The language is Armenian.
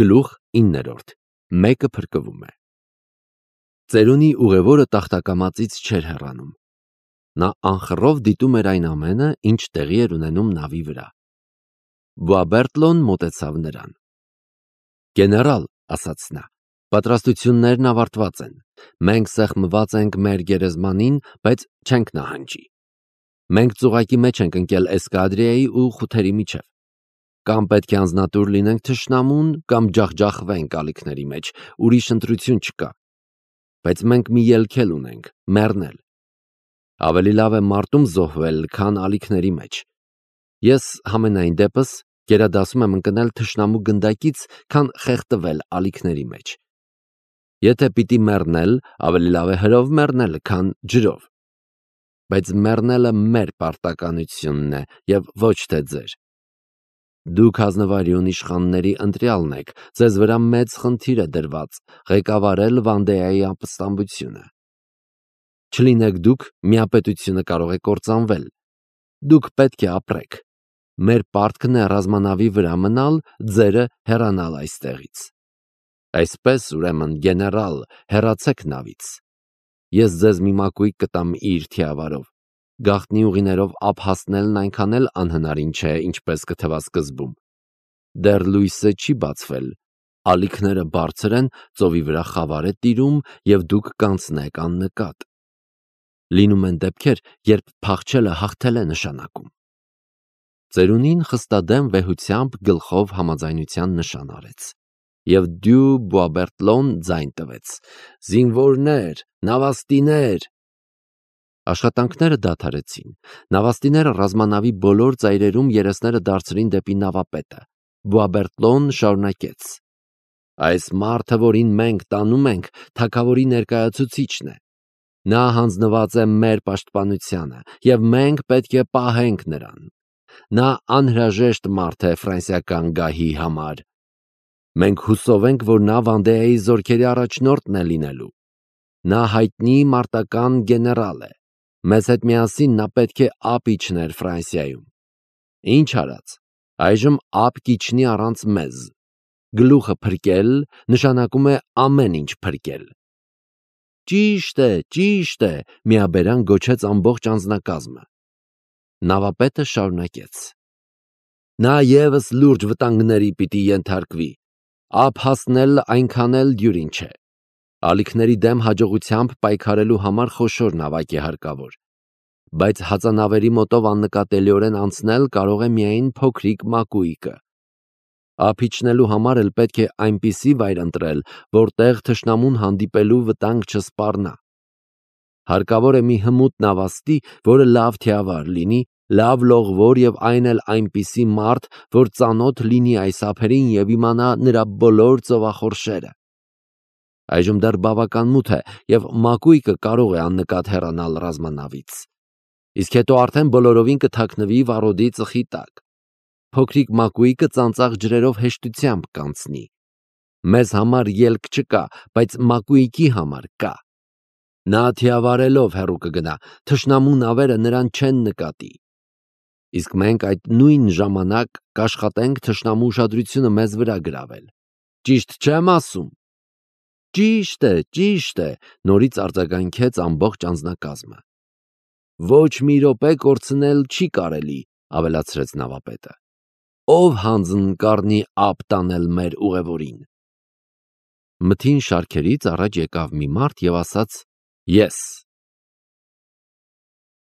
Գլուխ 9. Մեկը փրկվում է։ Ծերունի ուղևորը տախտակամածից չէր հեռանում։ Նա անխռով դիտում էր այն ամենը, ինչ տեղի էր ունենում նավի վրա։ Բուաբերտլոն մոտեցավ նրան։ «Գեներալ», ասաց նա, «պատրաստություններն ավարտված են։ Մենք սեղմված ենք մեր գերեզմանին, բայց չենք նահանջի։ Մենք ծուղակի մեջ ենք ընկել Էսկադրիայի ու խութերի միջև։ Կամ պետք է անձնատուր լինենք թշնամուն, կամ ջախջախվենք ալիքների մեջ, ուրիշ ընտրություն չկա։ Բայց մենք մի ելք էլ ունենք՝ մեռնել։ Ավելի լավ է մարտում զոհվել, քան ալիքների մեջ։ Ես համենայն դեպս գերադասում եմ ընկնել թշնամու գնդակից, քան խեղդվել ալիքների մեջ։ Եթե պիտի մեռնել, ավելի լավ է հրով մեռնել, քան ջրով։ Բայց մեռնելը մեր պարտականությունն է և ոչ թե ձեր։ Դուք ազնվարյուն իշխանների ընտրյալն եք, ձեզ վրա մեծ խնդիր է դրված ղեկավարել Վանդեայի ապստամբությունը։ Չլինեք դուք, միապետությունը կարող է կործանվել։ Դուք պետք է ապրեք։ Մեր պարտքն է ռազմանավի վրա մնալ, ձերը հեռանալ այստեղից։ Այսպես, ուրեմն, գեներալ, հեռացեք նավից։ Ես ձեզ մի մակույկ կտամ իր թիավարով։ Գաղտնի ուղիներով ափ հասնելն այնքան էլ անհնարին չէ, ինչպես կթվա սկզբում։ Դեռ լույսը չի բացվել, ալիքները բարձր են, ծովի վրա խավար է տիրում, և դուք կանցնեք աննկատ։ Լինում են դեպքեր, երբ փախչելը հաղթել է նշանակում։ Ծերունին խստադեմ վեհությամբ գլխով համաձայնության նշան արեց, և դյու Բուաբերտլոն ձայն տվեց. «Զինվորներ, նավաստիներ»։ Աշխատանքները դադարեցին։ Նավաստիները ռազմանավի բոլոր ծայրերում երեսները դարձրին դեպի նավապետը։ Բուաբերտլոն շարունակեց. «Այս մարդը, որին մենք տանում ենք, թագավորի ներկայացուցիչն է։ Նա հանձնված է մեր պաշտպանությանը, և մենք պետք է պահենք նրան։ Նա անհրաժեշտ մարդ է ֆրանսիական գահի համար։ Մենք հուսով ենք, որ նա Վանդեայի զորքերի առաջնորդն է լինելու։ Նա հայտնի մարտական գեներալ է։ Մեզ հետ միասին նա պետք է ափ իջներ Ֆրանսիայում։ Ինչ արած, այժմ ափ կիջնի առանց մեզ։ Գլուխը փրկել նշանակում է ամեն ինչ փրկել»։ Ճիշտ է, միաբերան գոչեց ամբողջ անձնակազմը։ Նավապետը շարունակեց. «Նա ևս լուրջ վտանգների պիտի ենթարկվի։ Ափ հասնելն այնքան էլ դյուրին չէ։ Ալիքների դեմ հաջողությամբ պայքարելու համար խոշոր նավակ է հարկավոր։ Բայց հածանավերի մոտով աննկատելիորեն անցնել կարող է միայն փոքրիկ մակույկը։ Ափ իջնելու համար էլ պետք է այնպիսի վայր ընտրել, որտեղ թշնամուն հանդիպելու վտանգ չսպառնա։ Հարկավոր է մի հմուտ նավաստի, որը լավ թիավար լինի, լավ լողվոր և այն էլ այնպիսի մարդ, որ ծանոթ լինի այս ափերին և իմանա նրա բոլոր ծովախորշերը։ Այժմ դեռ բավական մութ է, և մակույկը կարող է աննկատ հեռանալ ռազմանավից։ Իսկ հետո արդեն բոլորովին կթաքնվի վառոդի ծխի տակ։ Փոքրիկ մակույկը ծանծաղ ջրերով հեշտությամբ կանցնի։ Մեզ համար ելք չկա, բայց մակույկի համար կա։ Նա թիավարելով հեռու կգնա, թշնամու նավերը նրան չեն նկատի։ Իսկ մենք այդ նույն ժամանակ կաշխատենք թշնամու ուշադրությունը մեզ վրա գրավել։ Ճիշտ չեմ ասում։ Ճիշտ է, նորից արձագանքեց ամբողջ անձնակազմը։ Ոչ մի րոպե կորցնել չի կարելի, ավելացրեց նավապետը։ Ով հանձն կառնի ափ տանել մեր ուղևորին։ Մթին շարքերից առաջ եկավ մի մարդ և ասաց. «Ես»։